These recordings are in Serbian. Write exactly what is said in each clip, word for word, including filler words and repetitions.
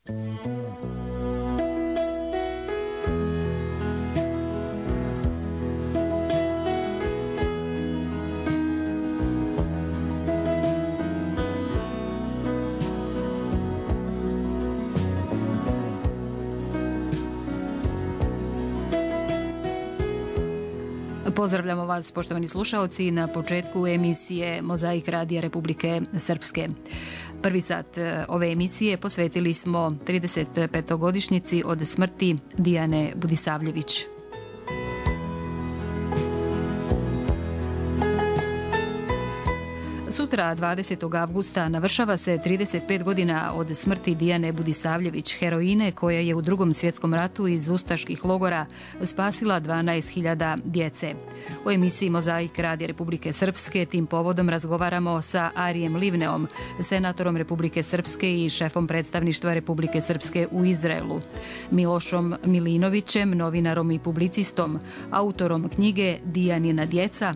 Pozdravljamo vas, poštovani slušaoci, na početku emisije Mozaik Radija Republike Srpske. Prvi sat ove emisije posvetili smo trideset petogodišnjici od smrti Dijane Budisavljević. Sutra, dvadesetog avgusta, navršava se trideset pet godina od smrti Dijane Budisavljević, heroine koja je u Drugom svjetskom ratu iz ustaških logora spasila dvanaest hiljada djece. U emisiji Mozaik Radija Republike Srpske tim povodom razgovaramo sa Arijem Livneom, senatorom Republike Srpske i šefom predstavništva Republike Srpske u Izraelu, Milošom Milinovićem, novinarom i publicistom, autorom knjige Dijanina djeca,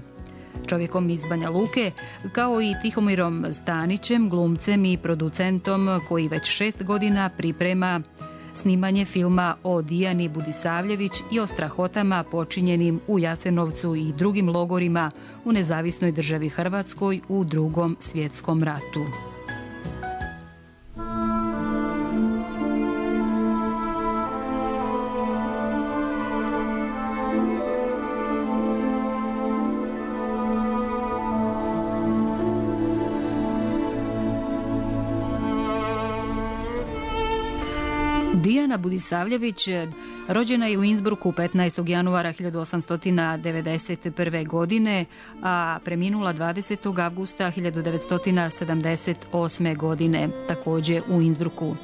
čovjekom iz Banja Luke, kao i Tihomirom Stanićem, glumcem i producentom koji već šest godina priprema snimanje filma o Dijani Budisavljević i o strahotama počinjenim u Jasenovcu i drugim logorima u nezavisnoj državi Hrvatskoj u Drugom svjetskom ratu. Dijana Budisavljević rođena je u Innsbrucku petnaestog januara hiljadu osamsto devedeset prve. godine, a preminula dvadesetog avgusta hiljadu devetsto sedamdeset osme. godine, također u Innsbrucku.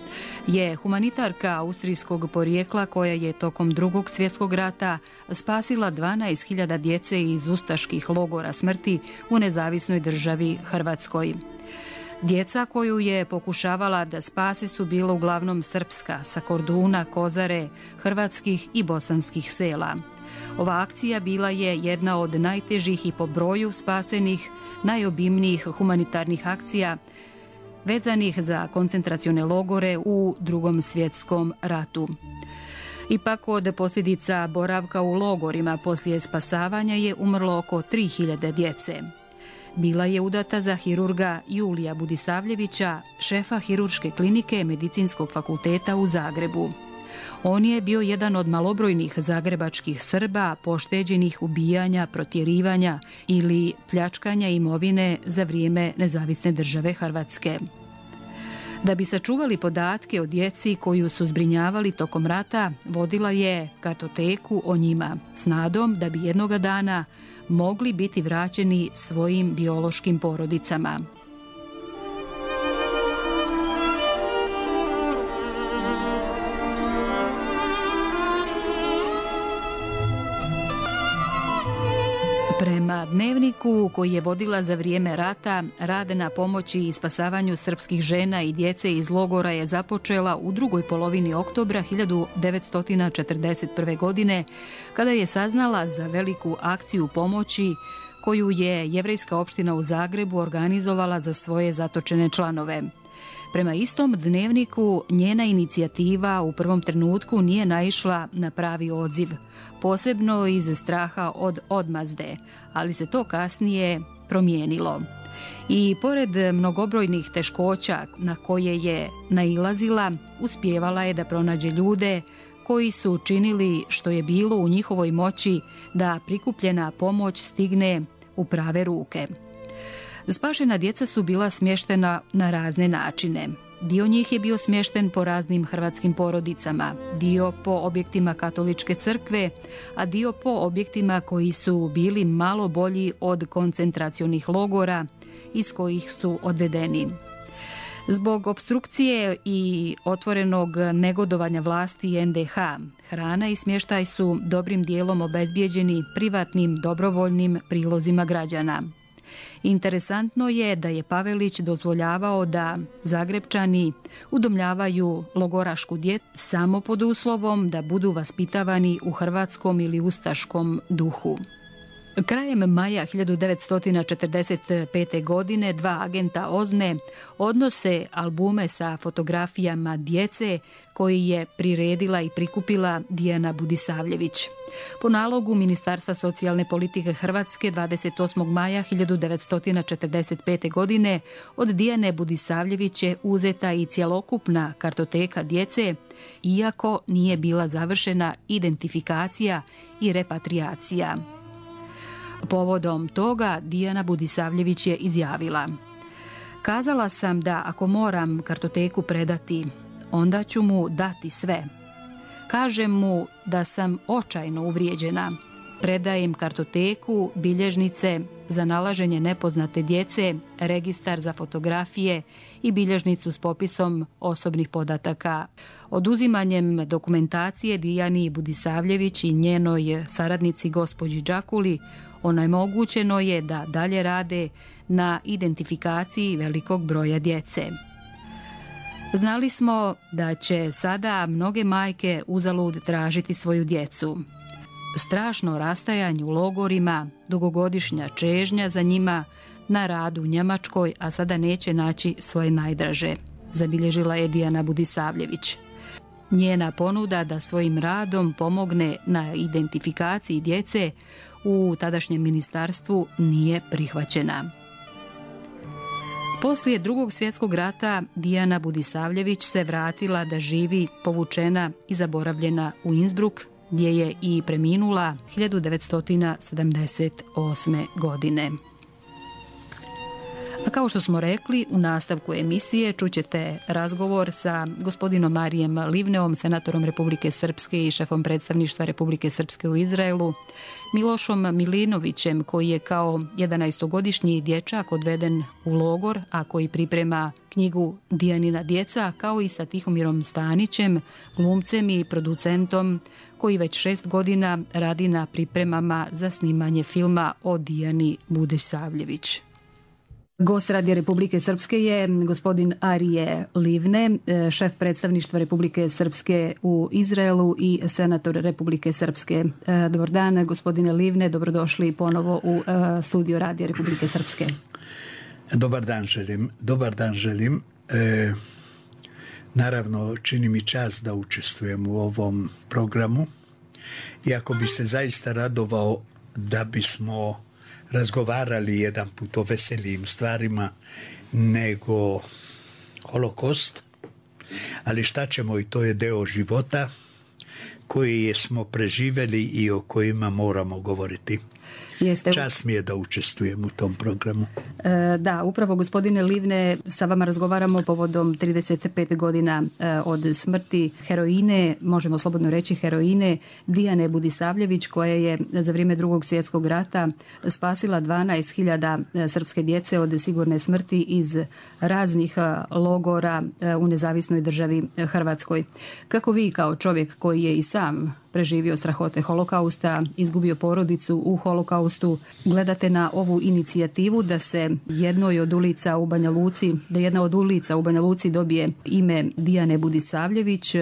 Je humanitarka austrijskog porijekla koja je tokom Drugog svjetskog rata spasila dvanaest hiljada djece iz ustaških logora smrti u nezavisnoj državi Hrvatskoj. Djeca koju je pokušavala da spase su bila uglavnom srpska, sa Korduna, Kozare, hrvatskih i bosanskih sela. Ova akcija bila je jedna od najtežih i po broju spasenih, najobimnijih humanitarnih akcija vezanih za koncentracione logore u Drugom svjetskom ratu. Ipak od posljedica boravka u logorima poslije spasavanja je umrlo oko tri hiljade djece. Bila je udata za hirurga Julija Budisavljevića, šefa hirurške klinike Medicinskog fakulteta u Zagrebu. On je bio jedan od malobrojnih zagrebačkih Srba pošteđenih ubijanja, protjerivanja ili pljačkanja imovine za vrijeme nezavisne države Hrvatske. Da bi sačuvali podatke o djeci koju su zbrinjavali tokom rata, vodila je kartoteku o njima s nadom da bi jednoga dana mogli biti vraćeni svojim biološkim porodicama. Prema dnevniku koji je vodila za vrijeme rata, rad na pomoći i spasavanju srpskih žena i djece iz logora je započela u drugoj polovini oktobra hiljadu devetsto četrdeset prve. godine, kada je saznala za veliku akciju pomoći koju je jevrejska opština u Zagrebu organizovala za svoje zatočene članove. Prema istom dnevniku, njena inicijativa u prvom trenutku nije naišla na pravi odziv, posebno iz straha od odmazde, ali se to kasnije promijenilo. I pored mnogobrojnih teškoća na koje je nailazila, uspijevala je da pronađe ljude koji su učinili što je bilo u njihovoj moći da prikupljena pomoć stigne u prave ruke. Spašena djeca su bila smještena na razne načine. Dio njih je bio smješten po raznim hrvatskim porodicama, dio po objektima katoličke crkve, a dio po objektima koji su bili malo bolji od koncentracionih logora iz kojih su odvedeni. Zbog opstrukcije i otvorenog negodovanja vlasti en de ha, hrana i smještaj su dobrim dijelom obezbijeđeni privatnim dobrovoljnim prilozima građana. Interesantno je da je Pavelić dozvoljavao da Zagrebčani udomljavaju logorašku djecu samo pod uslovom da budu vaspitavani u hrvatskom ili ustaškom duhu. Krajem maja hiljadu devetsto četrdeset pete. godine dva agenta OZNE odnose albume sa fotografijama djece koji je priredila i prikupila Dijana Budisavljević. Po nalogu Ministarstva socijalne politike Hrvatske dvadeset osmog maja hiljadu devetsto četrdeset pete. godine od Dijane Budisavljević je uzeta i cjelokupna kartoteka djece, iako nije bila završena identifikacija i repatriacija. Povodom toga Dijana Budisavljević je izjavila: "Kazala sam da ako moram kartoteku predati, onda ću mu dati sve. Kažem mu da sam očajno uvrijeđena. Predajem kartoteku, bilježnice za nalaženje nepoznate djece, registar za fotografije i bilježnicu s popisom osobnih podataka. Oduzimanjem dokumentacije Dijani Budisavljević i njenoj saradnici gospođi Đakuli onemogućeno je da dalje rade na identifikaciji velikog broja djece. Znali smo da će sada mnoge majke uzalud tražiti svoju djecu. Strašno rastajanje u logorima, dugogodišnja čežnja za njima, na radu u Njemačkoj, a sada neće naći svoje najdraže", zabilježila je Dijana Budisavljević. Njena ponuda da svojim radom pomogne na identifikaciji djece u tadašnjem ministarstvu nije prihvaćena. Poslije Drugog svjetskog rata Dijana Budisavljević se vratila da živi povučena i zaboravljena u Innsbruck, gdje je i preminula hiljadu devetsto sedamdeset osme. godine. A kao što smo rekli, u nastavku emisije čućete razgovor sa gospodinom Marijem Livneom, senatorom Republike Srpske i šefom predstavništva Republike Srpske u Izraelu, Milošom Milinovićem, koji je kao jedanaestogodišnji dječak odveden u logor, a koji priprema knjigu Dijanina djeca, kao i sa Tihomirom Stanićem, glumcem i producentom, koji već šest godina radi na pripremama za snimanje filma o Dijani Budisavljević. Gost Radija Republike Srpske je gospodin Arije Livne, šef predstavništva Republike Srpske u Izraelu i senator Republike Srpske. Dobar dan, gospodine Livne, dobrodošli ponovo u studio Radija Republike Srpske. Dobar dan želim. Dobar dan želim. E, naravno, čini mi čast da učestvujem u ovom programu. Iako bi se zaista radovao da bismo razgovarali jedan put o veselijim stvarima nego holokost, ali šta ćemo, i to je deo života koji smo preživjeli i o kojima moramo govoriti. Jeste... Čast mi je da učestvujem u tom programu. E, da, upravo gospodine Livne, sa vama razgovaramo povodom trideset pet godina e, od smrti heroine, možemo slobodno reći heroine, Dijane Budisavljević, koja je za vrijeme Drugog svjetskog rata spasila dvanaest hiljada srpske djece od sigurne smrti iz raznih logora u nezavisnoj državi Hrvatskoj. Kako vi kao čovjek koji je i sam preživio strahote holokausta, izgubio porodicu u holokaustu, gledate na ovu inicijativu da se jednoj od ulica u Banja Luci, da jedna od ulica u Banja Luci dobije ime Dijane Budisavljević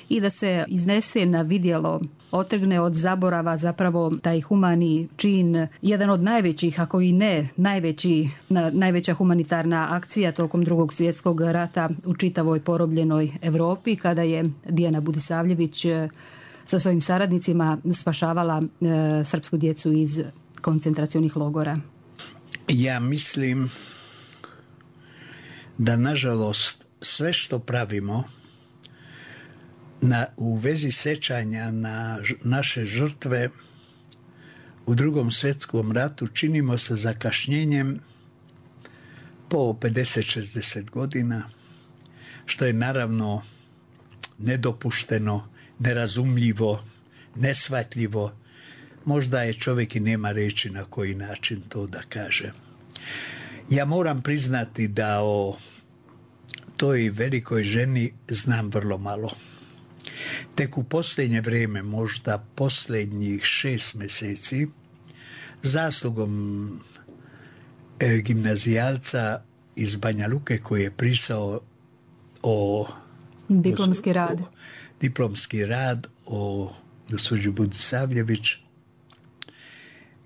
i da se iznese na vidjelo, otrgne od zaborava zapravo taj humani čin, jedan od najvećih, ako i ne najveći, najveća humanitarna akcija tokom Drugog svjetskog rata u čitavoj porobljenoj Europi, kada je Dijana Budisavljević sa svojim saradnicima spašavala e, srpsku djecu iz koncentracionih logora. Ja mislim da nažalost sve što pravimo na, u vezi sećanja na ž, naše žrtve u Drugom svjetskom ratu činimo sa zakašnjenjem po pedeset šezdeset godina, što je naravno nedopušteno, nerazumljivo, neshvatljivo. Možda je čovjek i nema reći na koji način to da kaže. Ja moram priznati da o toj velikoj ženi znam vrlo malo. Tek u posljednje vrijeme, možda posljednjih šest mjeseci, zaslugom e, gimnazijalca iz Banja Luke koji je pisao o diplomski rad. O, diplomski rad o gospođi Budisavljević,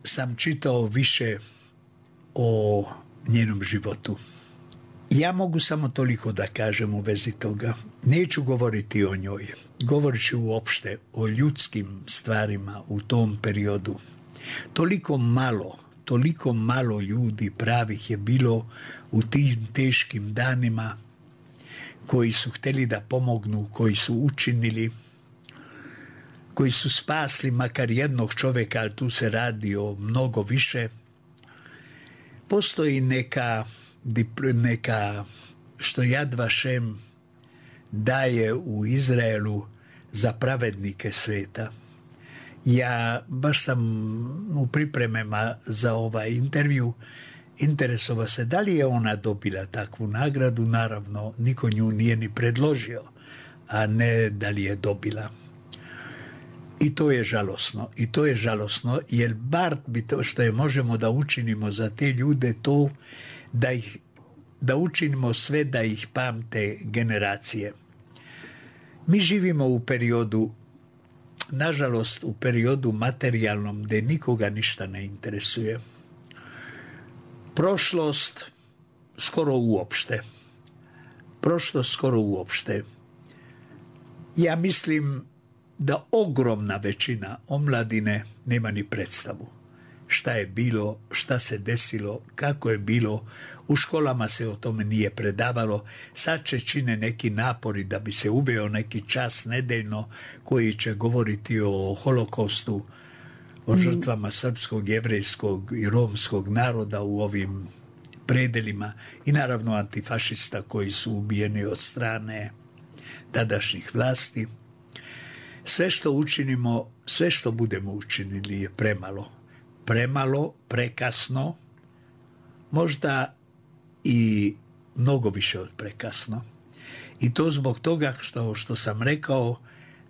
sam čitao više o njenom životu. Ja mogu samo toliko da kažem u vezi toga. Neću govoriti o njoj. Govorit ću uopšte o ljudskim stvarima u tom periodu. Toliko malo, toliko malo ljudi pravih je bilo u tim teškim danima, koji su htjeli da pomognu, koji su učinili, koji su spasli makar jednog čovjeka, ali tu se radi o mnogo više. Postoji neka, neka što Yad Vashem daje u Izraelu za pravednike sveta. Ja baš sam u pripremama za ovaj intervju interesovao se da li je ona dobila takvu nagradu. Naravno, niko nju nije ni predložio, a ne da li je dobila. I to je žalosno. I to je žalosno, jer bar bi to što je možemo da učinimo za te ljude to da, ih, da učinimo sve da ih pamte generacije. Mi živimo u periodu, nažalost u periodu materijalnom gdje nikoga ništa ne interesuje. Prošlost skoro uopšte. Prošlost skoro uopšte. Ja mislim da ogromna većina omladine nema ni predstavu šta je bilo, šta se desilo, kako je bilo. U školama se o tome nije predavalo. Sad će čine neki napori da bi se uveo neki čas nedeljno koji će govoriti o holokaustu, o žrtvama srpskog, jevrejskog i romskog naroda u ovim predelima i naravno antifašista koji su ubijeni od strane tadašnjih vlasti. Sve što učinimo, sve što budemo učinili je premalo. Premalo, prekasno, možda i mnogo više od prekasno. I to zbog toga što, što sam rekao,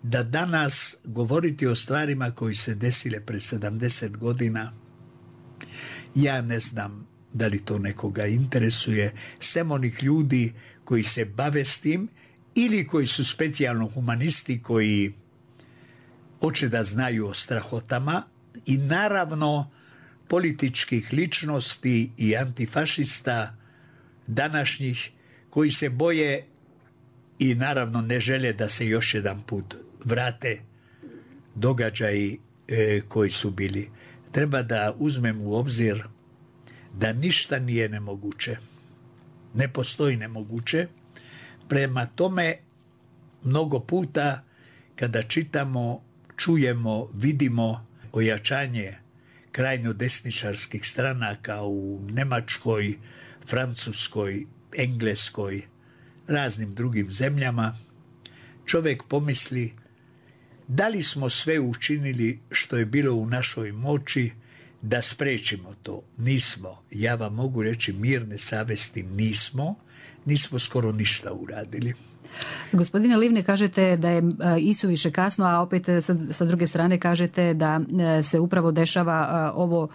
da danas govoriti o stvarima koji se desile pred sedamdeset godina, ja ne znam da li to nekoga interesuje, sem onih ljudi koji se bave s tim ili koji su specijalno humanisti koji hoće da znaju o strahotama i naravno političkih ličnosti i antifašista današnjih koji se boje i naravno ne žele da se još jedan put vrate događaji e, koji su bili. Treba da uzmem u obzir da ništa nije nemoguće. Ne postoji nemoguće. Prema tome, mnogo puta kada čitamo, čujemo, vidimo ojačanje krajnjo desničarskih stranaka u Njemačkoj, Francuskoj, Engleskoj, raznim drugim zemljama, čovjek pomisli da li smo sve učinili što je bilo u našoj moći da sprečimo to. Nismo. Ja vam mogu reći mirne savesti nismo. Nismo skoro ništa uradili. Gospodine Livne, kažete da je isuviše kasno, a opet sa, sa druge strane kažete da se upravo dešava ovo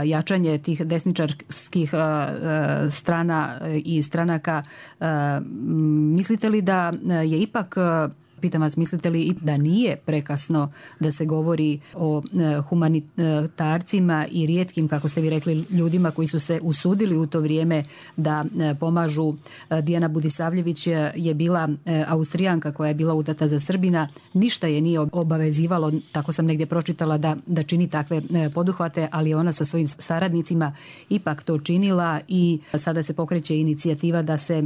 jačanje tih desničarskih strana i stranaka. Mislite li da je ipak, pitam vas, mislite li da nije prekasno da se govori o humanitarcima i rijetkim, kako ste vi rekli, ljudima koji su se usudili u to vrijeme da pomažu? Dijana Budisavljević je bila Austrijanka koja je bila udata za Srbina. Ništa je nije obavezivalo, tako sam negdje pročitala, da, da čini takve poduhvate, ali ona sa svojim saradnicima ipak to činila i sada se pokreće inicijativa da se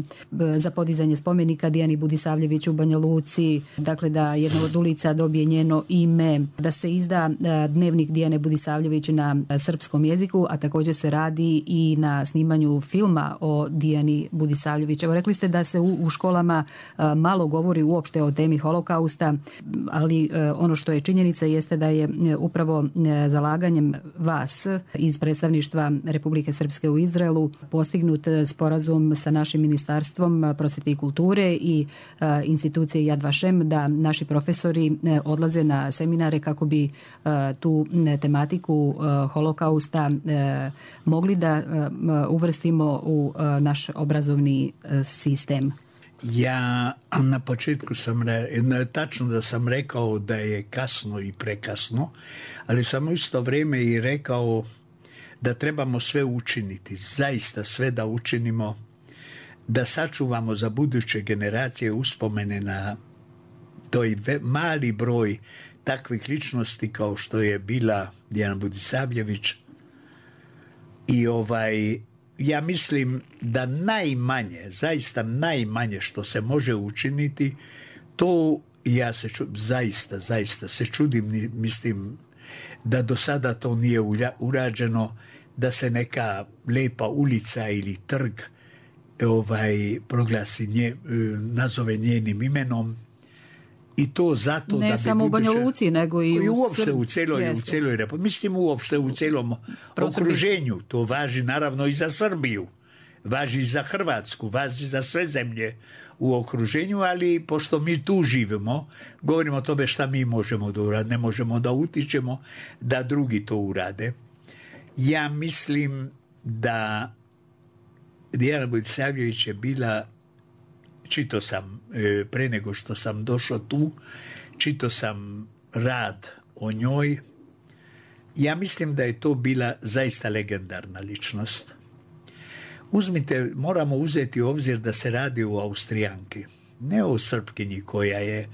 za podizanje spomenika Dijani Budisavljević u Banja Luci, dakle da jedna od ulica dobije njeno ime, da se izda dnevnik Dijane Budisavljević na srpskom jeziku, a također se radi i na snimanju filma o Dijani Budisavljević. Evo, rekli ste da se u, u školama malo govori uopšte o temi holokausta, ali ono što je činjenica jeste da je upravo zalaganjem vas iz predstavništva Republike Srpske u Izraelu postignut sporazum sa našim Ministarstvom prosvete i kulture i institucije Yad Vashem da naši profesori odlaze na seminare kako bi tu tematiku holokausta mogli da uvrstimo u naš obrazovni sistem. Ja na početku sam re, tačno da sam rekao da je kasno i prekasno, ali sam u isto vrijeme i rekao da trebamo sve učiniti, zaista sve da učinimo, da sačuvamo za buduće generacije uspomene na toj mali broj takvih ličnosti kao što je bila Dijana Budisavljević. I ovaj, ja mislim da najmanje, zaista najmanje što se može učiniti, to ja se ču, zaista, zaista se čudim, mislim da do sada to nije urađeno, da se neka lepa ulica ili trg ovaj, proglasi nje, nazove njenim imenom. I to zato ne da bi samo u Banja Luci, nego i, i u uopšte u celoj, u celoj Republici. Mislim uopšte u celom okruženju. To važi naravno i za Srbiju. Važi i za Hrvatsku, važi za sve zemlje u okruženju, ali pošto mi tu živimo, govorimo o tome šta mi možemo da uradimo, ne možemo da utičemo da drugi to urade. Ja mislim da Dijana Budisavljević je bila, čitao sam e, pre nego što sam došao tu, čitao sam rad o njoj. Ja mislim da je to bila zaista legendarna ličnost. Uzmite, moramo uzeti u obzir da se radi o Austrijanki, ne o Srpkinji koja je,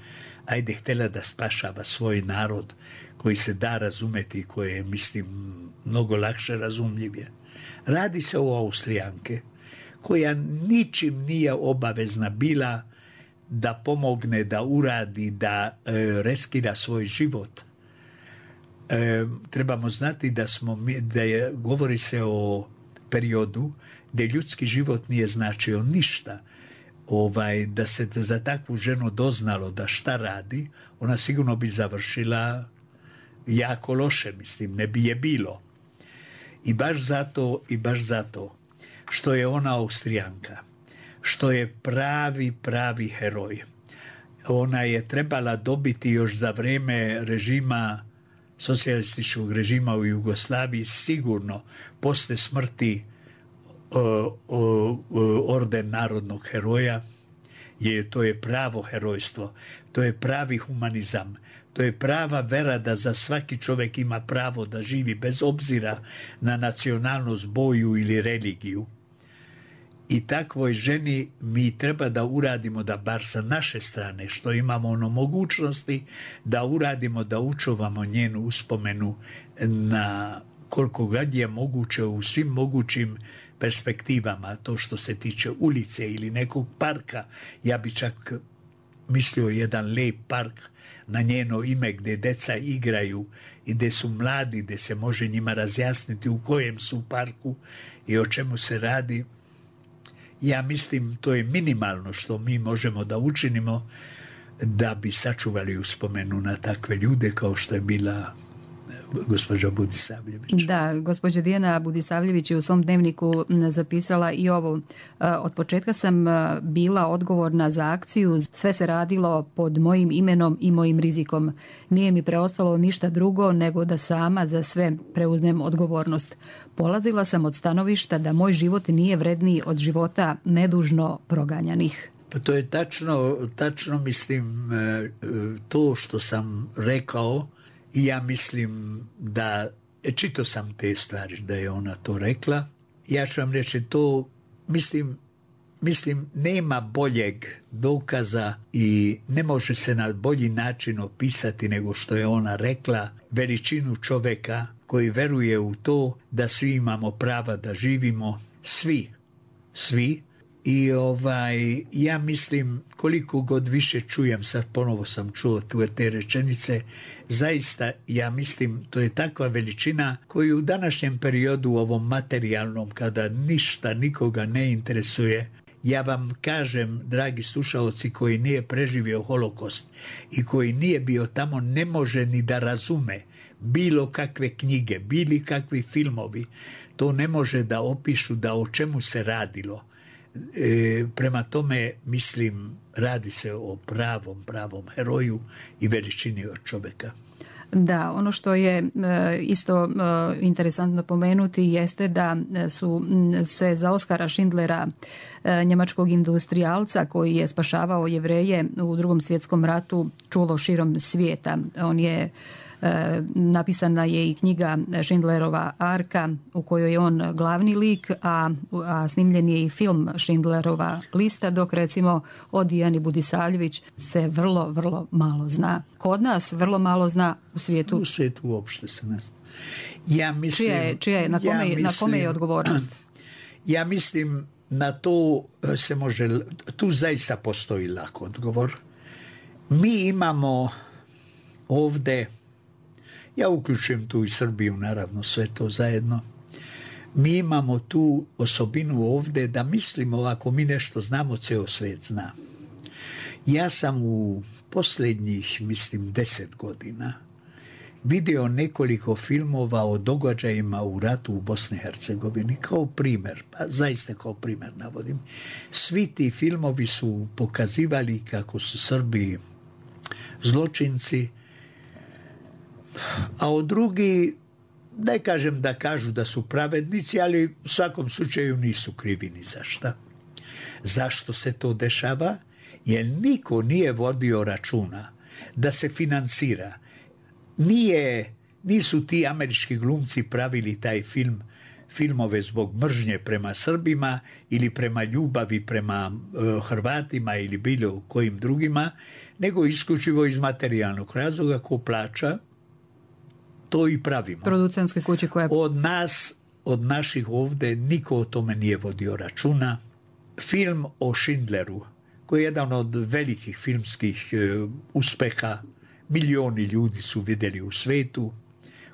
ajde, htjela da spašava svoj narod, koji se da razumeti, koji je, mislim, mnogo lakše razumljivije. Radi se o Austrijanke, koja ničim nije obavezna bila da pomogne, da uradi, da e, reskira svoj život. E, trebamo znati da smo, da je, govori se o periodu gdje ljudski život nije značio ništa. Ovaj, da se za takvu ženu doznalo da šta radi, ona sigurno bi završila jako loše, mislim, ne bi je bilo. I baš zato, i baš zato što je ona Austrijanka, što je pravi, pravi heroj. Ona je trebala dobiti još za vrijeme režima, socijalističkog režima u Jugoslaviji, sigurno posle smrti o, o, o, orden narodnog heroja, jer to je pravo herojstvo, to je pravi humanizam, to je prava vera da za svaki čovjek ima pravo da živi bez obzira na nacionalnost, boju ili religiju. I takvoj ženi mi treba da uradimo, da bar sa naše strane, što imamo ono mogućnosti, da uradimo, da učuvamo njenu uspomenu na koliko god je moguće u svim mogućim perspektivama. To što se tiče ulice ili nekog parka, ja bi čak mislio jedan lep park na njeno ime gdje deca igraju i gdje su mladi, gdje se može njima razjasniti u kojem su parku i o čemu se radi. Ja mislim to je minimalno što mi možemo da učinimo da bi sačuvali uspomenu na takve ljude kao što je bila gospođa Budisavljević. Da, gospođa Dijana Budisavljević je u svom dnevniku zapisala i ovo. Od početka sam bila odgovorna za akciju, sve se radilo pod mojim imenom i mojim rizikom. Nije mi preostalo ništa drugo nego da sama za sve preuzmem odgovornost. Polazila sam od stanovišta da moj život nije vredniji od života nedužno proganjanih. Pa to je tačno, tačno mislim to što sam rekao. I ja mislim da, čitao sam te stvari da je ona to rekla. Ja ću vam reći to, mislim, mislim nema boljeg dokaza i ne može se na bolji način opisati nego što je ona rekla veličinu čovjeka koji veruje u to da svi imamo prava da živimo, svi, svi. I ovaj, ja mislim koliko god više čujem, sad ponovo sam čuo tu te rečenice, zaista ja mislim to je takva veličina koju u današnjem periodu, u ovom materijalnom, kada ništa nikoga ne interesuje, ja vam kažem, dragi slušaoci, koji nije preživio holokost i koji nije bio tamo, ne može ni da razume bilo kakve knjige, bili kakvi filmovi, to ne može da opišu da o čemu se radilo. E, prema tome, mislim, radi se o pravom, pravom heroju i veličini od čovjeka. Da, ono što je e, isto e, interesantno pomenuti jeste da su se za Oskara Schindlera, e, njemačkog industrijalca koji je spašavao Jevreje u Drugom svjetskom ratu, čulo širom svijeta. On je napisana je i knjiga Schindlerova arka u kojoj je on glavni lik, a, a snimljen je i film Schindlerova lista, dok recimo o Dijani Budisavljević se vrlo, vrlo malo zna. Kod nas vrlo malo zna, u svijetu. U svijetu uopšte se ne zna. Ja mislim, čija je, čija je, na, kome, ja mislim, na kome je odgovornost? Ja mislim na to se može, tu zaista postoji lak odgovor. Mi imamo ovdje, ja uključujem tu i Srbiju, naravno, sve to zajedno, mi imamo tu osobinu ovdje da mislimo ako mi nešto znamo, ceo svijet zna. Ja sam u posljednjih, mislim, deset godina vidio nekoliko filmova o događajima u ratu u Bosni i Hercegovini kao primjer, pa zaista kao primjer navodim. Svi ti filmovi su pokazivali kako su Srbi zločinci, a od drugi, ne kažem da kažu da su pravednici, ali u svakom slučaju nisu krivi ni za šta. Zašto se to dešava? Jer niko nije vodio računa da se financira. Nije, nisu ti američki glumci pravili taj film, filmove zbog mržnje prema Srbima ili prema ljubavi prema uh, Hrvatima ili bilo kojim drugima, nego isključivo iz materijalnog razloga, ko plaća, to i pravimo. Producentske kuće koje... Od nas, od naših ovdje, niko o tome nije vodio računa. Film o Schindleru, koji je jedan od velikih filmskih uh, uspeha, milioni ljudi su vidjeli u svetu.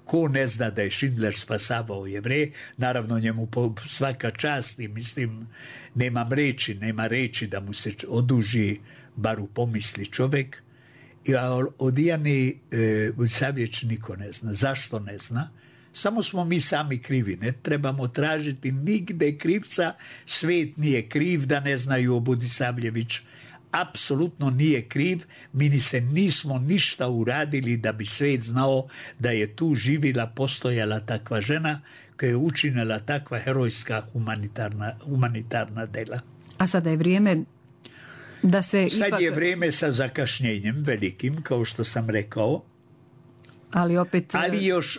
Ko ne zna da je Schindler spasavao Jevreje, naravno njemu po svaka čast i mislim, nemam reči, nema reči da mu se oduži, bar u pomisli čovjek. A o Dijani e, Budisavljević niko ne zna. Zašto ne zna? Samo smo mi sami krivi. Ne trebamo tražiti nigde krivca. Svijet nije kriv da ne znaju o Budisavljević. Apsolutno nije kriv. Mi ni se nismo ništa uradili da bi svijet znao da je tu živila, postojala takva žena koja je učinila takva herojska humanitarna, humanitarna dela. A sada je vrijeme da se Sad ipak... je vrijeme sa zakašnjenjem velikim, kao što sam rekao. Ali opet... Ali još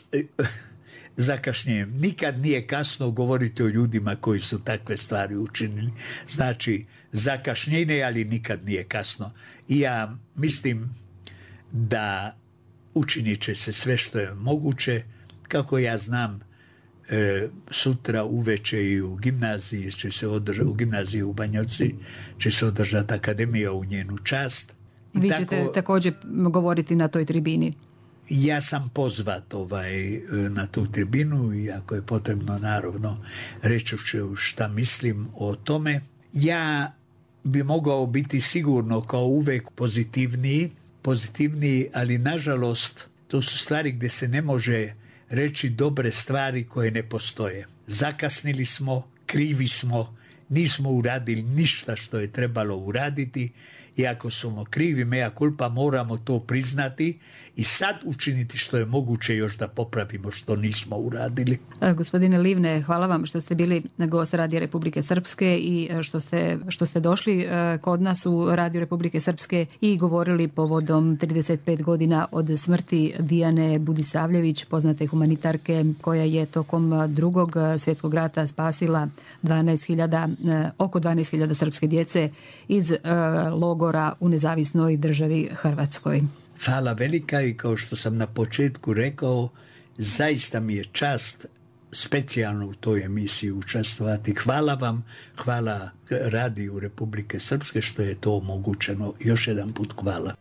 zakašnjenjem. Nikad nije kasno govoriti o ljudima koji su takve stvari učinili. Znači, zakašnjenje, ali nikad nije kasno. I ja mislim da učinit će se sve što je moguće. Kako ja znam, e, sutra uveče i u gimnaziji će se održati, u gimnaziji u Banjovci će se održati akademija u njenu čast. I Vi tako, ćete također govoriti na toj tribini. Ja sam pozvat ovaj, na tu tribinu i ako je potrebno, naravno, reći ću šta mislim o tome. Ja bi mogao biti sigurno kao uvek pozitivniji, pozitivniji, ali nažalost to su stvari gdje se ne može reći dobre stvari koje ne postoje. Zakasnili smo, krivi smo, nismo uradili ništa što je trebalo uraditi i ako smo krivi, mea culpa, moramo to priznati i sad učiniti što je moguće još da popravimo što nismo uradili. Gospodine Livne, hvala vam što ste bili gost Radija Republike Srpske i što ste, što ste došli kod nas u Radio Republike Srpske i govorili povodom trideset pet godina od smrti Dijane Budisavljević, poznate humanitarke koja je tokom drugog svjetskog rata spasila dvanaest hiljada, oko dvanaest hiljada srpske djece iz logora u nezavisnoj državi Hrvatskoj. Hvala velika i kao što sam na početku rekao, zaista mi je čast specijalno u toj emisiji učestvovati. Hvala vam, hvala Radiju Republike Srpske što je to omogućeno. Još jedan put hvala.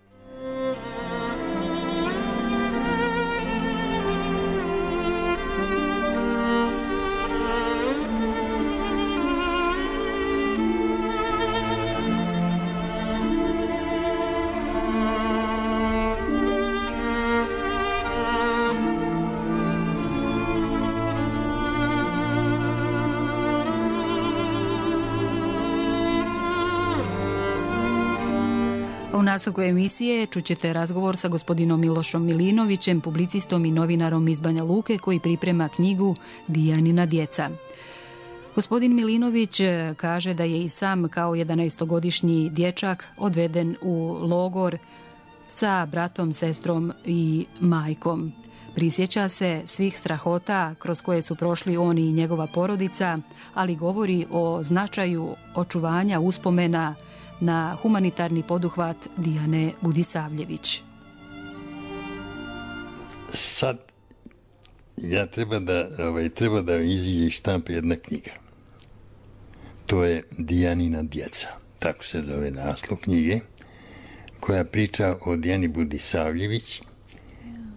U nastavku emisije čućete razgovor sa gospodinom Milošom Milinovićem, publicistom i novinarom iz Banja Luke koji priprema knjigu Dijanina djeca. Gospodin Milinović kaže da je i sam kao jedanaestogodišnji dječak odveden u logor sa bratom, sestrom i majkom. Prisjeća se svih strahota kroz koje su prošli on i njegova porodica, ali govori o značaju očuvanja uspomena na humanitarni poduhvat Dijane Budisavljević. Sad ja treba da, ovaj, treba da iziđe iz štampe jedna knjiga. To je Dijanina djeca, tako se zove naslov knjige, koja priča o Dijani Budisavljević,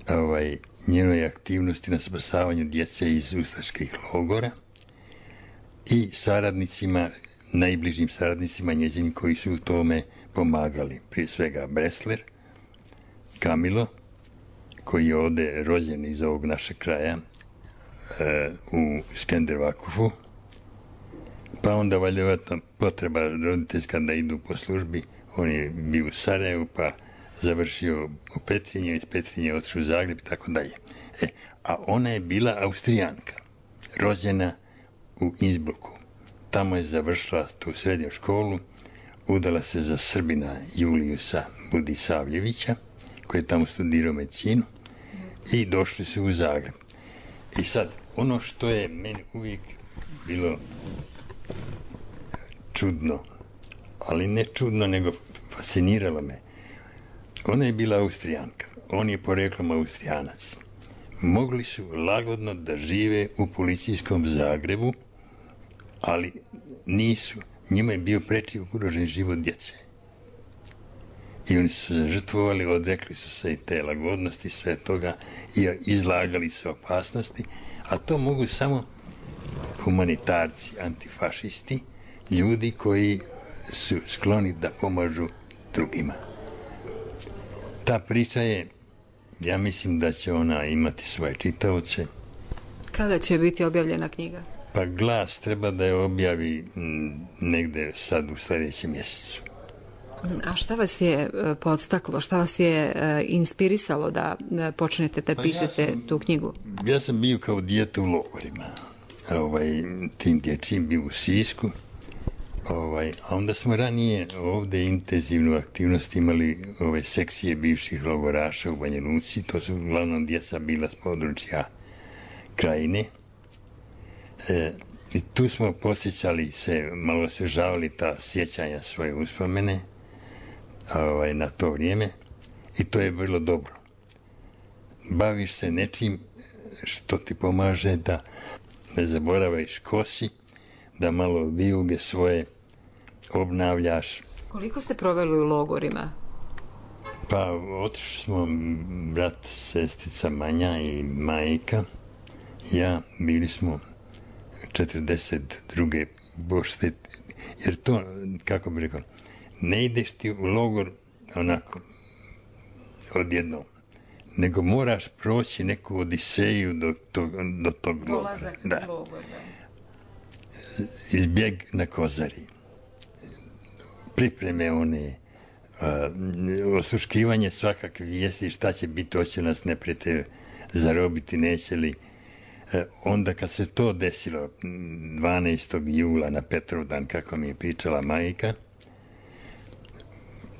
ovaj, njenoj aktivnosti na spasavanju djece iz ustaških logora i saradnicima, najbližim saradnicima njezinim koji su u tome pomagali. Prije svega Bresler, Kamilo, koji je ovde rođen iz ovog našeg kraja e, u Skendervakufu, pa onda valjevata potreba roditeljska da idu po službi. On je bio u Sarajevu, pa završio u Petrinje, iz Petrinje otišao u Zagreb i tako dalje. E, a ona je bila Austrijanka, rođena u Innsbrucku. Tamo je završila tu srednju školu, udala se za Srbina Julijusa Budisavljevića, koji je tamo studirao medicinu, i došli su u Zagreb. I sad, ono što je meni uvijek bilo čudno, ali ne čudno, nego fasciniralo me. Ona je bila Austrijanka, on je poreklom Austrijanac. Mogli su lagodno da žive u policijskom Zagrebu, ali nisu. Njima je bio preči ugrožen život djece. I oni su se žrtvovali, odrekli su se i te lagodnosti, sve toga, i izlagali se opasnosti, a to mogu samo humanitarci, antifašisti, ljudi koji su skloni da pomažu drugima. Ta priča je, ja mislim da će ona imati svoje čitaoce. Kada će biti objavljena knjiga? Pa Glas treba da je objavi negde sad u sljedećem mjesecu. A šta vas je podstaklo, šta vas je inspirisalo da počnete da pišete pa ja sam, tu knjigu? Ja sam bio kao dijete u logorima. Ovaj, tim dječjim bio u Sisku. Ovaj, a onda smo ranije ovde intenzivnu aktivnost imali ove sekcije bivših logoraša u Banja Luci. To su uglavnom djeca bila s područja Krajine. E, I tu smo posjećali se, malo osvežavali ta sjećanja, svoje uspomene ovaj, na to vrijeme, i to je bilo dobro. Baviš se nečim što ti pomaže da ne zaboravaš kosi, da malo vijuge svoje obnavljaš. Koliko ste proveli u logorima? Pa otišli smo brat, sestica Manja i majka. Ja, bili smo četrdeset druge bošte, jer to, kako bi rekao, ne ideš ti u logor onako odjednom, nego moraš proći neku odiseju do tog, do tog logora. Dolazak da. Logor, da. Izbjeg na Kozari. Pripreme one, uh, osluškivanje svakakve vijesti, šta će biti, hoće nas neprijatelj zarobiti, neće li. Uh, onda kad se to desilo, dvanaestog jula na Petrovdan, kako mi je pričala majka,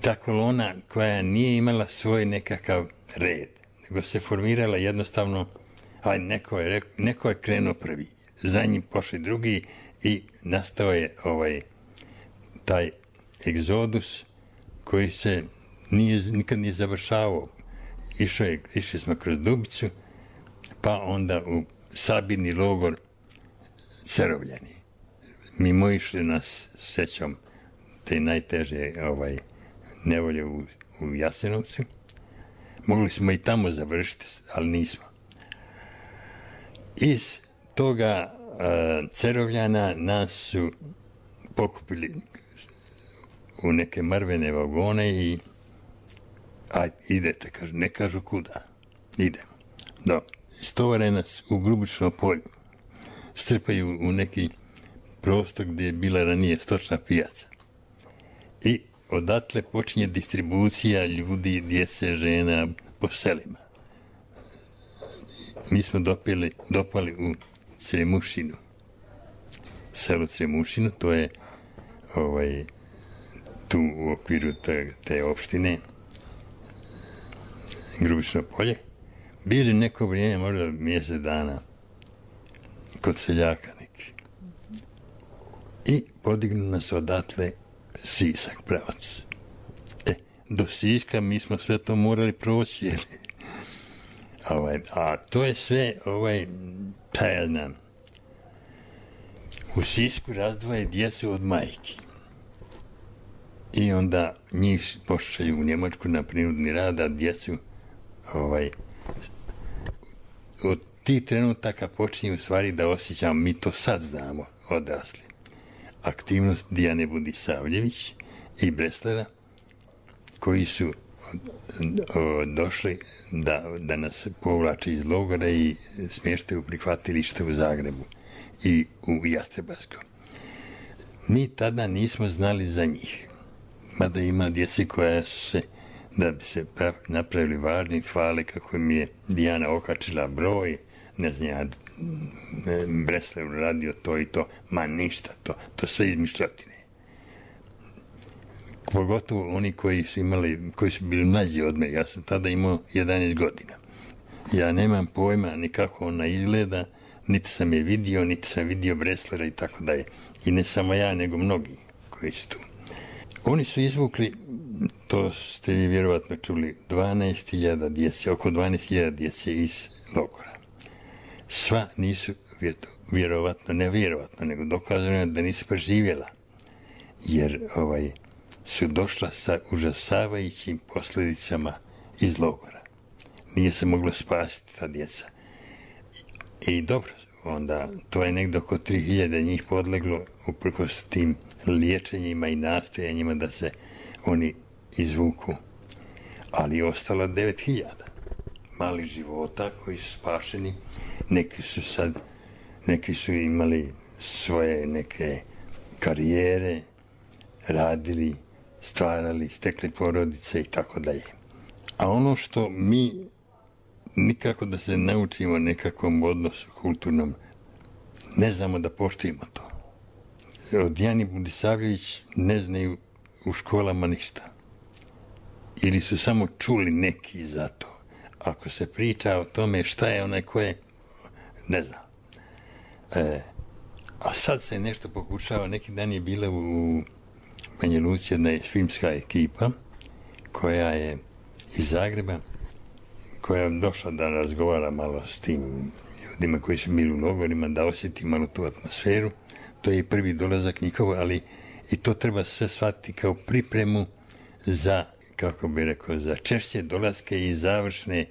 ta kolona koja nije imala svoj nekakav red, nego se formirala jednostavno, a neko je, neko je krenuo prvi, za njim pošli drugi i nastao je ovaj, taj egzodus koji se nije, nikad nije završavao. Išao je, išli smo kroz Dubicu, pa onda u sabirni logor Cerovljani. Mimo išli nas sećom te najteže ovaj, nevolje u, u Jasenovcu. Mogli smo i tamo završiti, ali nismo. Iz toga uh, Cerovljana nas su pokupili u neke mrvene vagone i aj, idete, kažu, ne kažu kuda. Idemo. Do, istovare nas u Grubično polju. Strpaju u neki prostor gdje je bila ranije stočna pijaca. I odatle počinje distribucija ljudi, djece, žena po selima. Mi smo dopili, dopali u Cremušinu. Selo Cremušinu, to je ovaj, tu u okviru te, te opštine. Grubišno polje, bili neko vrijeme, možda mjesec dana, kod seljaka neki. I podignu nas odatle Sisak, pravac. E, do Siska mi smo sve to morali proći, jel? Ovaj, a to je sve, ovaj, pa ja znam, u Sisku razdvoje djecu od majki. I onda njih pošalju u Njemačku na prinudni rad, a djecu, ovaj, od tih trenutaka počinje u stvari da osjećamo, mi to sad znamo, odrasli. Aktivnost Dijane Budisavljević i Breslera, koji su o, došli da, da nas povlače iz logora i smještaju u prihvatilište u Zagrebu i u Jastrebarskom. Mi tada nismo znali za njih. Mada ima djeci koja se, da bi se napravili važni, hvale kako mi je Dijana okačila broj, ne znam ja, Breslev radio to i to, ma ništa, to, to sve izmišljotine. Pogotovo oni koji su imali, koji su bili mlađi od mene, ja sam tada imao jedanaest godina. Ja nemam pojma ni kako ona izgleda, niti sam je vidio, niti sam vidio Breslera i tako dalje. I ne samo ja, nego mnogi koji su tu. Oni su izvukli, to ste vi vjerovatno čuli, dvanaest hiljada djece, oko dvanaest hiljada djece iz logora. Sva nisu, vjerovatno, ne vjerovatno, nego dokazano je da nisu preživjela. Jer ovaj, su došla sa užasavajućim posljedicama iz logora. Nije se moglo spasiti ta djeca. I dobro, onda to je negdje oko tri hiljade njih podleglo uprkos tim liječenjima i nastojanjima da se oni izvuku. Ali je ostalo devet hiljada malih života koji su spašeni. Neki su sad, neki su imali svoje neke karijere, radili, stvarali, stekli porodice i tako dalje. A ono što mi nikako da se naučimo nekakvom odnosu kulturnom, ne znamo da poštujemo to. Od Dijane Budisavljević ne znaju u školama ništa. Ili su samo čuli neki za to. Ako se priča o tome šta je onaj ko je, ne znam. E, a sad se nešto pokušava, neki dan je bila u Banja Luci jedna filmska ekipa koja je iz Zagreba, koja je došla da razgovara malo s tim ljudima koji su bili u logorima, da osjeti malo tu atmosferu. To je prvi dolazak njihov, ali i to treba sve shvatiti kao pripremu za, kako bi rekao, za češće dolaske i završne,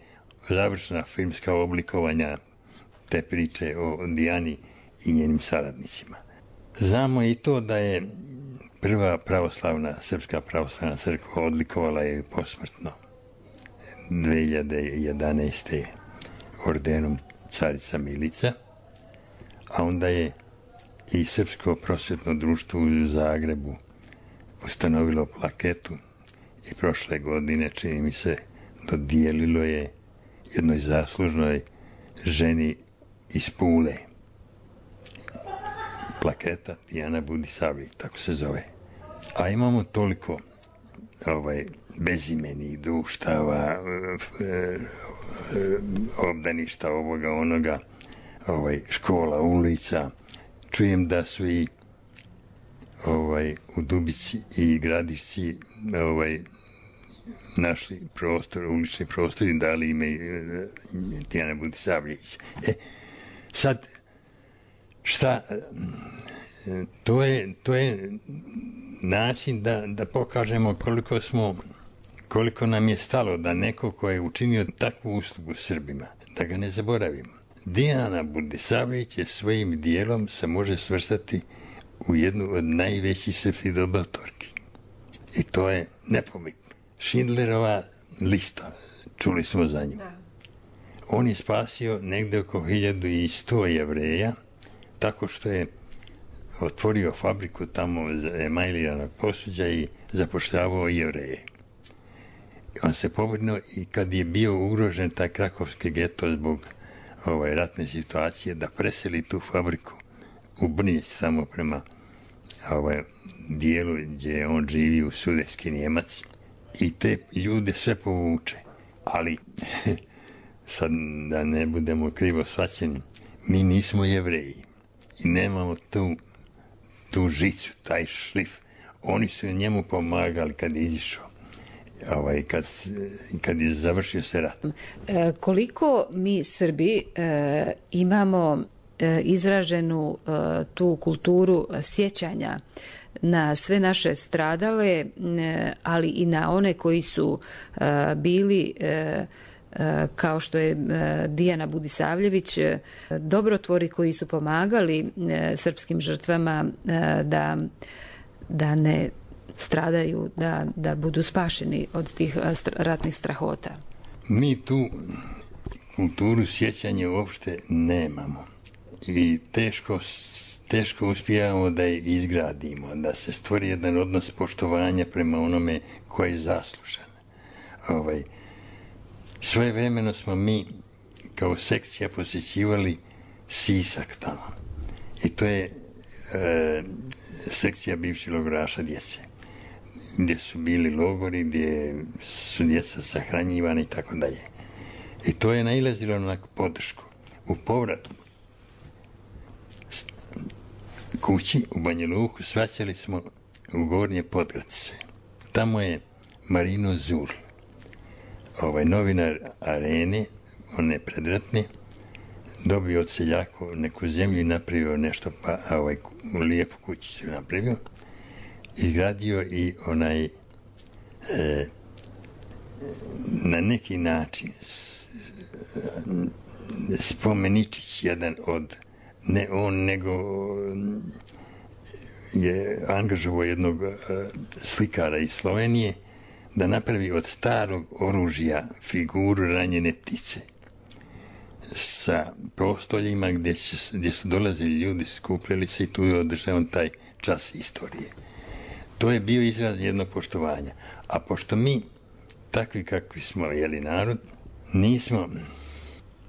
završna filmska oblikovanja te priče o Dijani i njenim saradnicima. Znamo i to da je prva pravoslavna, Srpska pravoslavna crkva odlikovala je posmrtno dve hiljade jedanaeste. ordenom Carica Milica, a onda je i Srpsko prosvjetno društvo u Zagrebu ustanovilo plaketu i prošle godine, čini mi se, dodijelilo je jednoj zaslužnoj ženi iz Pule. Plaketa Dijana Budisavljević, tako se zove. A imamo toliko ovaj, bezimenih društava, obdaništa ovoga, onoga, ovaj, škola, ulica. Čujem da su i ovaj, u Dubici i Gradišci ovaj, našli prostor, ulični prostor i dali ime Dijana Budisavljević. E, sad, šta, to je, to je način da, da pokažemo koliko smo, koliko nam je stalo da neko ko je učinio takvu uslugu Srbima, da ga ne zaboravimo. Dijana Budisavljević je svojim dijelom se može svrstati u jednu od najvećih srpskih dobrotvorki. I to je nepobitno. Schindlerova lista, čuli smo za nju. On je spasio negde oko hiljadu sto Jevreja, tako što je otvorio fabriku tamo emajliranog posuđa i zapošljavao Jevreje. On se pobrinuo i kad je bio ugrožen taj krakovski geto zbog ovaj, ratne situacije, da preseli tu fabriku u Brnjić, samo prema ovaj, dijelu gdje on živi u Sudetski Njemac, i te ljude sve povuče. Ali, sad da ne budemo krivo shvaćeni, mi nismo Jevreji i nemamo tu, tu žicu, taj šlif. Oni su njemu pomagali kad je izišao, ovaj, kad, kad je završio se rat. E, koliko mi Srbi e, imamo e, izraženu e, tu kulturu sjećanja na sve naše stradale, e, ali i na one koji su e, bili e, kao što je Dijana Budisavljević, dobrotvori koji su pomagali srpskim žrtvama da, da ne stradaju, da, da budu spašeni od tih ratnih strahota. Mi tu kulturu sjećanja uopšte nemamo i teško, teško uspijamo da je izgradimo, da se stvori jedan odnos poštovanja prema onome koji je zaslužan. Ovaj, Svoje vremeno smo mi kao sekcija posjećivali Sisak tamo. I to je e, sekcija bivših logoraša djece, gdje su bili logori, gdje su djeca sahranjivana i tako dalje. I to je nailazilo na podršku. U povratu kući u Banja Luku svaćali smo u Gornje Podgracice. Tamo je Marino Zul, ovaj novinar Arene, one predratne, dobio od seljaka neku zemlju i napravio nešto, pa ovaj, lijepu kućicu napravio. Izgradio i onaj, e, na neki način, spomeničić jedan od, ne on, nego je angažovao jednog slikara iz Slovenije, da napravi od starog oružja figuru ranjene ptice sa prostoljima gdje su, gdje su dolazili ljudi, skupljali se i tu je održavan taj čas istorije. To je bio izraz jednog poštovanja. A pošto mi, takvi kakvi smo, jeli narod, nismo,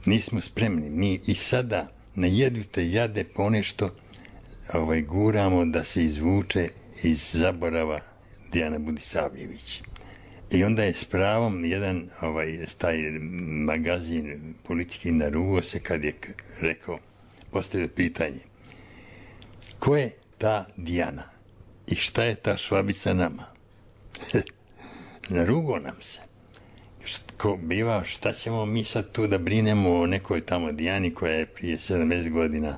nismo spremni. Mi i sada na jedvite jade ponešto ovaj, guramo da se izvuče iz zaborava Dijana Budisavljević. I onda je s pravom jedan ovaj, taj magazin politiki narugo se kad je rekao, postavio pitanje, ko je ta Dijana i šta je ta Švabica nama? Narugo nam se. Ko biva, šta ćemo mi sad tu da brinemo o nekoj tamo Dijani koja je prije sedamdeset godina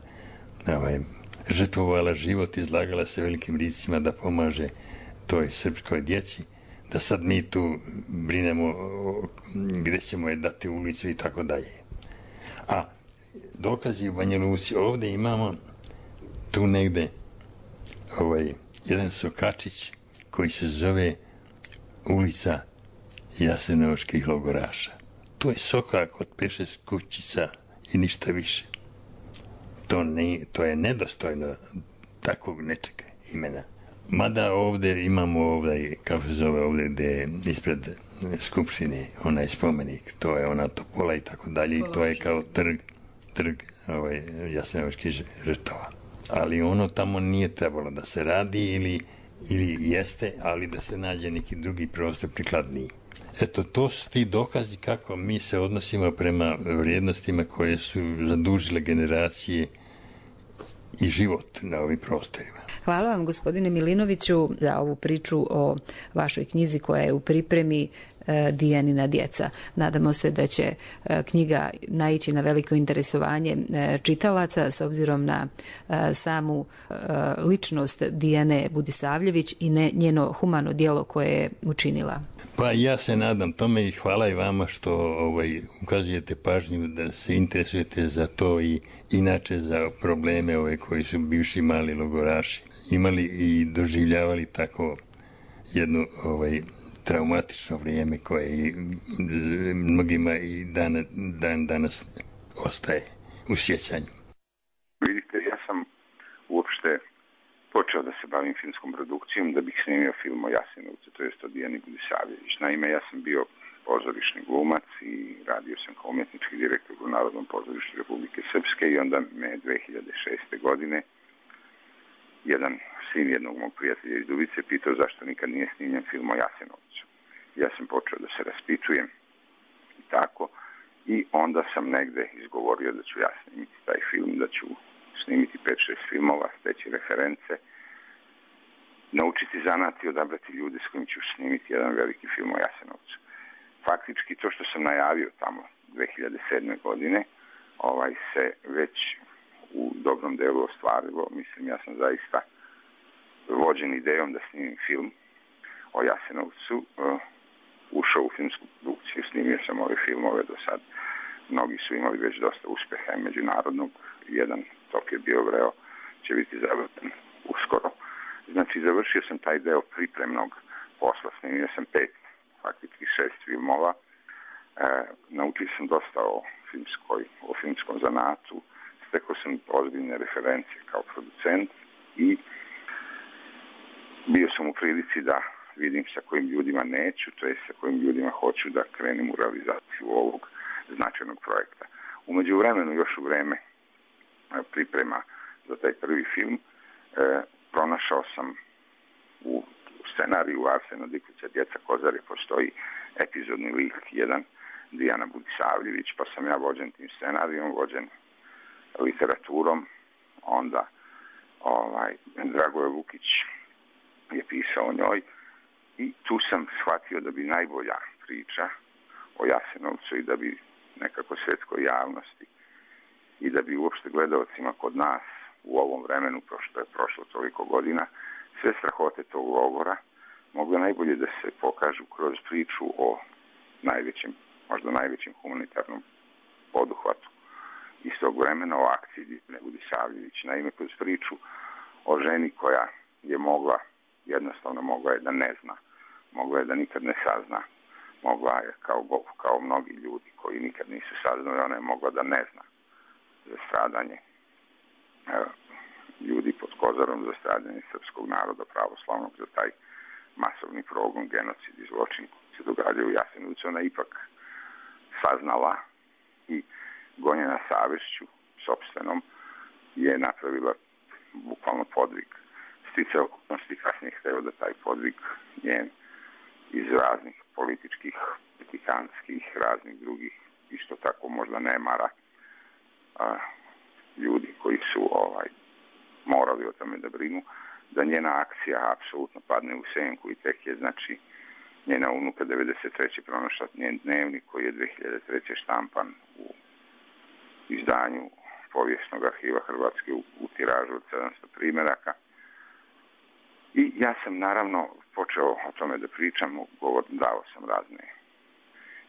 ovaj, žrtvovala život, izlagala se velikim rizicima da pomaže toj srpskoj djeci, da sad mi tu brinemo gdje ćemo je dati ulicu i tako dalje. A dokazi u Banja Luci, ovdje imamo tu negde ovaj, jedan sokačić koji se zove ulica Jasenovačkih logoraša. To je sokak od pet šest kućica i ništa više. To, ne, to je nedostojno takvog nečega imena. Mada ovdje imamo ovdje, kako se zove ovdje, gdje je ispred skupštine onaj spomenik, to je ona topola i tako dalje, i to je kao trg, trg ovaj, Jasenovačkih žrtava. Ali ono tamo nije trebalo da se radi ili, ili jeste, ali da se nađe neki drugi prostor prikladniji. Eto, to su ti dokazi kako mi se odnosimo prema vrijednostima koje su zadužile generacije i život na ovim prostorima. Hvala vam, gospodine Milinoviću, za ovu priču o vašoj knjizi koja je u pripremi Dijanina djeca. Nadamo se da će knjiga naići na veliko interesovanje čitalaca s obzirom na samu ličnost Dijane Budisavljević i njeno humano djelo koje je učinila. Pa ja se nadam tome i hvala i vama što ovaj, ukazujete pažnju da se interesujete za to i inače za probleme ove koji su bivši mali logoraši imali i doživljavali tako jedno ovaj, traumatično vrijeme koje i mnogima i dan, dan danas ostaje u sjećanju. Vidite, ja sam uopšte počeo da se bavim filmskom produkcijom da bih snimio film o Jasenovcu, to jest o Dijani Budisavljević. Naime, ja sam bio pozorišni glumac i radio sam kao umjetnički direktor u Narodnom pozorištu Republike Srpske i onda me dve hiljade šeste. godine jedan sin jednog mog prijatelja iz Dubice pitao zašto nikad nije snimljen film o Jasenovcu. Ja sam počeo da se raspitujem tako. I onda sam negde izgovorio da ću ja snimiti taj film, da ću snimiti pet šest filmova, steći reference, naučiti zanat i odabrati ljude s kojim ću snimiti jedan veliki film o Jasenovcu. Faktički to što sam najavio tamo dve hiljade sedme. godine ovaj, se već u dobrom delu ostvarilo. Mislim, ja sam zaista vođen idejom da snimim film o Jasenovcu, uh, ušao u filmsku produkciju, snimio sam ove filmove do sad. Mnogi su imali već dosta uspeha i međunarodnog. Jedan, Tokio Biovreo, će biti završen uskoro. Znači, završio sam taj deo pripremnog posla. Snimio sam pet, faktički šest filmova. E, naučio sam dosta o, filmskoj, o filmskom zanatu. Stekao sam ozbiljne referencije kao producent i bio sam u prilici da vidim sa kojim ljudima neću, to je sa kojim ljudima hoću da krenem u realizaciju ovog značajnog projekta. U međuvremenu, još u vreme priprema za taj prvi film, e, pronašao sam u scenariju Arsena Diklića Djeca Kozare postoji epizodni lik jedan, Dijana Budisavljević, pa sam ja vođen tim scenarijom, vođen literaturom, onda ovaj, Dragoje Lukić je pisao o njoj i tu sam shvatio da bi najbolja priča o Jasenovcu i da bi nekako svetskoj javnosti i da bi uopšte gledalcima kod nas u ovom vremenu, pošto je prošlo toliko godina, sve strahote tog logora mogle najbolje da se pokažu kroz priču o najvećem, možda najvećem humanitarnom poduhvatu iz tog vremena, o akciji Dijane Budisavljević. Naime, kroz priču o ženi koja je mogla, jednostavno mogla je da ne zna, mogla je da nikad ne sazna, mogla je kao, kao mnogi ljudi koji nikad nisu saznali, ona je mogla da ne zna za stradanje ljudi pod Kozarom, za stradanje srpskog naroda pravoslavnog, za taj masovni progon, genocid i zločin koji se događaju u Jasenovcu. Ona ipak saznala i gonjena savešću sopstvenom je napravila bukvalno podvig. Stice okolnosti kasnije hteo da taj podvig njen iz raznih političkih, politikanskih, raznih drugih, isto tako možda nemara, a, ljudi koji su ovaj, morali o tome da brinu, da njena akcija apsolutno padne u senku i tek je, znači, njena unuka devedeset treće pronašla njen dnevnik koji je dve hiljade treće štampan u izdanju Povijesnog arhiva Hrvatske u, u tiražu od sedamsto primeraka. I ja sam naravno počeo o tome da pričam, govor, dao sam razne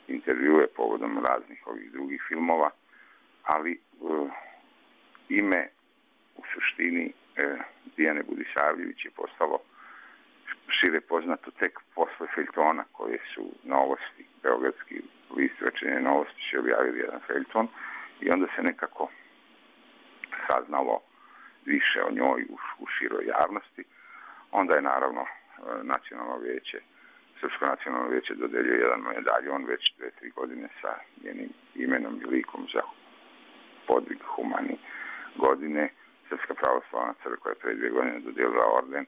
intervjue povodom raznih ovih drugih filmova, ali uh, ime u suštini uh, Dijane Budisavljević je postalo šire poznato tek posle feljtona koje su Novosti, beogradski list Večernje Novosti će objavili jedan feljton i onda se nekako saznalo više o njoj u, u široj javnosti. Onda je naravno nacionalno vijeće, Srpsko nacionalno vijeće dodeljio jedan medaljon već dve, tri godine sa njenim imenom i likom za podvig humani godine. Srpska pravoslavna crkva je pre dvije godine dodelila orden.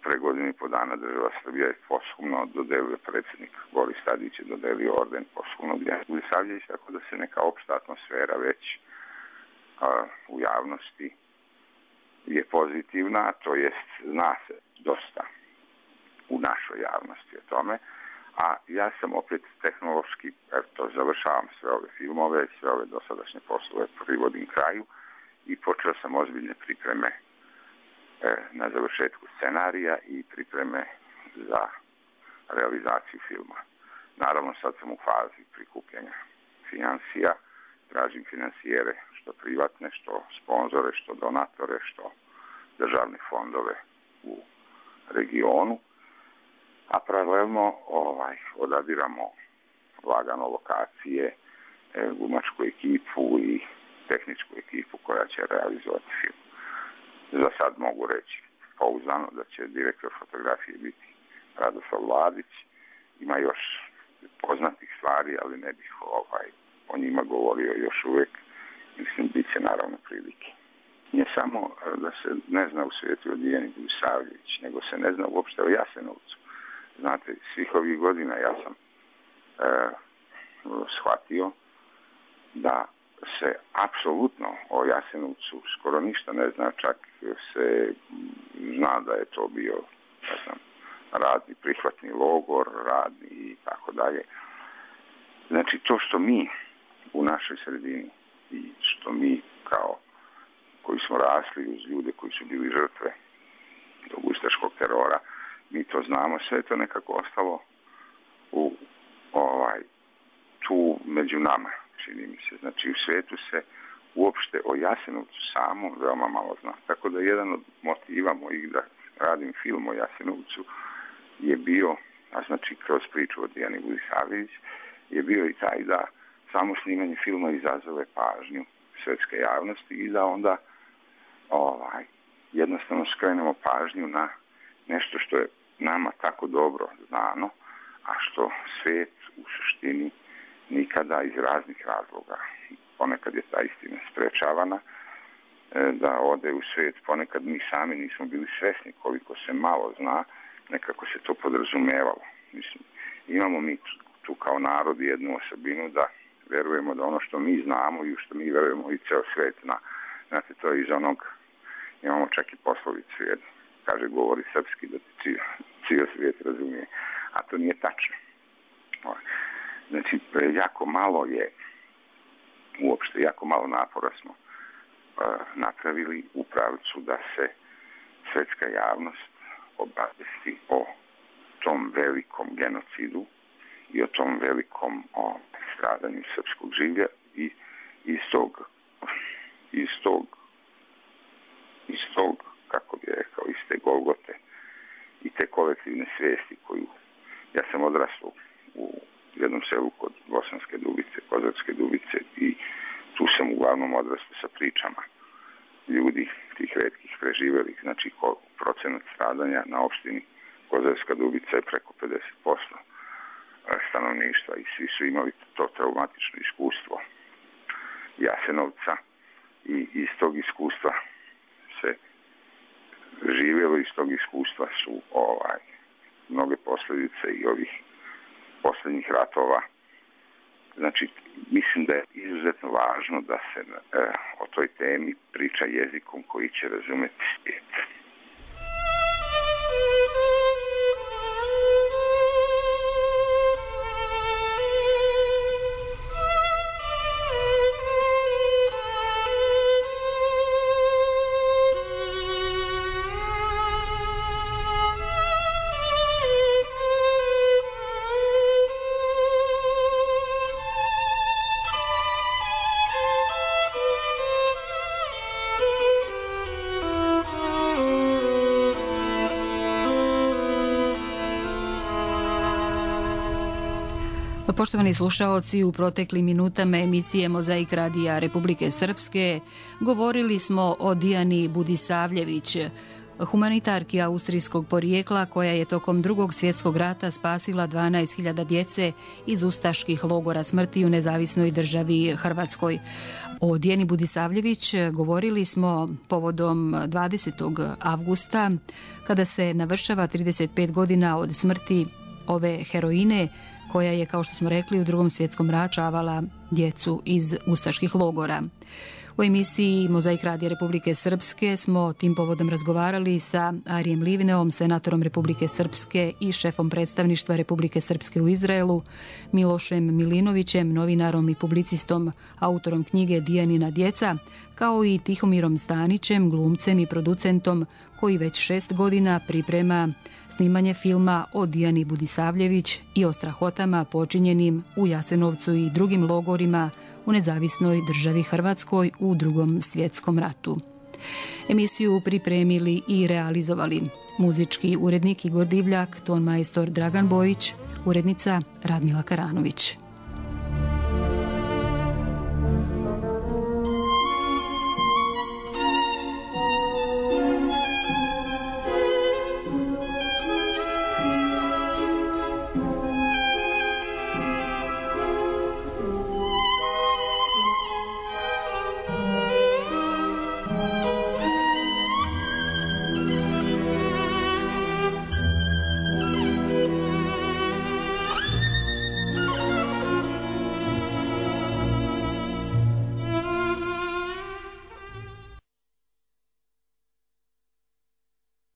Pre godinu i po dana država Srbija je posthumno dodelio, predsjednik Boris Tadić je dodelio orden posthumno Dijane Budisavljević, tako da se neka opšta atmosfera već a, u javnosti je pozitivna, to jest zna se dosta u našoj javnosti o tome, a ja sam opet tehnološki, eto, završavam sve ove filmove, sve ove dosadašnje poslove privodim kraju i počeo sam ozbiljne pripreme e, na završetku scenarija i pripreme za realizaciju filma. Naravno, sad sam u fazi prikupljanja finansija, tražim finansijere, što privatne, što sponzore, što donatore, što državne fondove u regionu, a paralelno ovaj, odadiramo lagano lokacije, e, glumačku ekipu i tehničku ekipu koja će realizovati film. Za sad mogu reći pouzdano da će direktor fotografije biti Radoslav Vladić. Ima još poznatih stvari, ali ne bih ovaj, o njima govorio još uvijek. Mislim, bit će naravno prilike. Nije samo da se ne zna u svijetu o Dijani Budisavljević, nego se ne zna uopšte o Jasenovcu. Znate, svih ovih godina ja sam e, dobro shvatio da se apsolutno o Jasenovcu skoro ništa ne zna, čak se zna da je to bio, ne znam, radni prihvatni logor, radni i tako dalje. Znači, to što mi u našoj sredini i što mi kao koji smo rasli uz ljude koji su bili žrtve tog ustaškog terora, mi to znamo, sve je to nekako ostalo u ovaj, tu među nama, čini mi se. Znači, u svijetu se uopšte o Jasenovcu samo veoma malo zna. Tako da jedan od motiva mojih da radim film o Jasenovcu je bio, a znači kroz priču o Dijani Budisavljević, je bio i taj da samo snimanje filma izazove pažnju svetske javnosti i da onda ovaj, jednostavno skrenemo pažnju na nešto što je nama tako dobro znano, a što svijet u suštini nikada iz raznih razloga, ponekad je ta istina sprečavana da ode u svijet, ponekad mi sami nismo bili svjesni koliko se malo zna, nekako se to podrazumevalo. Mislim, imamo mi tu kao narod jednu osobinu da verujemo da ono što mi znamo i u što mi verujemo i ceo svijet zna. Znate, to je iz onog, imamo čak i poslovicu jednu, kaže govori srpski da ti cijel svijet razumije, a to nije tačno. Znači, jako malo je, uopšte jako malo napora smo uh, napravili u pravcu da se svetska javnost obavesti o tom velikom genocidu i o tom velikom o stradanju srpskog življa i iz tog, iz tog, iz tog, kako bi rekao, iz te Golgote i te kolektivne svijesti koju, ja sam odrastao u jednom selu kod Bosanske Dubice, Kozarske Dubice i tu sam uglavnom odrastao sa pričama ljudi, tih retkih preživelih, znači procenat stradanja na opštini Kozarska Dubica je preko pedeset posto stanovništva i svi su imali to traumatično iskustvo Jasenovca i iz tog iskustva se živjelo, iz tog iskustva su ovaj, mnoge posljedice i ovih posljednjih ratova. Znači, mislim da je izuzetno važno da se e, o toj temi priča jezikom koji će razumjeti svijet. Poštovani slušaoci, u proteklim minutama emisije Mozaik radija Republike Srpske govorili smo o Dijani Budisavljević, humanitarki austrijskog porijekla koja je tokom Drugog svjetskog rata spasila dvanaest hiljada djece iz ustaških logora smrti u nezavisnoj državi Hrvatskoj. O Dijani Budisavljević govorili smo povodom dvadesetog avgusta, kada se navršava trideset pet godina od smrti ove heroine, koja je, kao što smo rekli, u Drugom svjetskom ratu čavala djecu iz ustaških logora. U emisiji Mozaik radija Republike Srpske smo tim povodom razgovarali sa Arijem Livneom, senatorom Republike Srpske i šefom predstavništva Republike Srpske u Izraelu, Milošem Milinovićem, novinarom i publicistom, autorom knjige Dijanina djeca, kao i Tihomirom Stanićem, glumcem i producentom koji već šest godina priprema snimanje filma o Dijani Budisavljević i o strahotama počinjenim u Jasenovcu i drugim logorima u nezavisnoj državi Hrvatskoj u Drugom svjetskom ratu. Emisiju pripremili i realizovali muzički urednik Igor Divljak, ton majstor Dragan Bojić, urednica Radmila Karanović.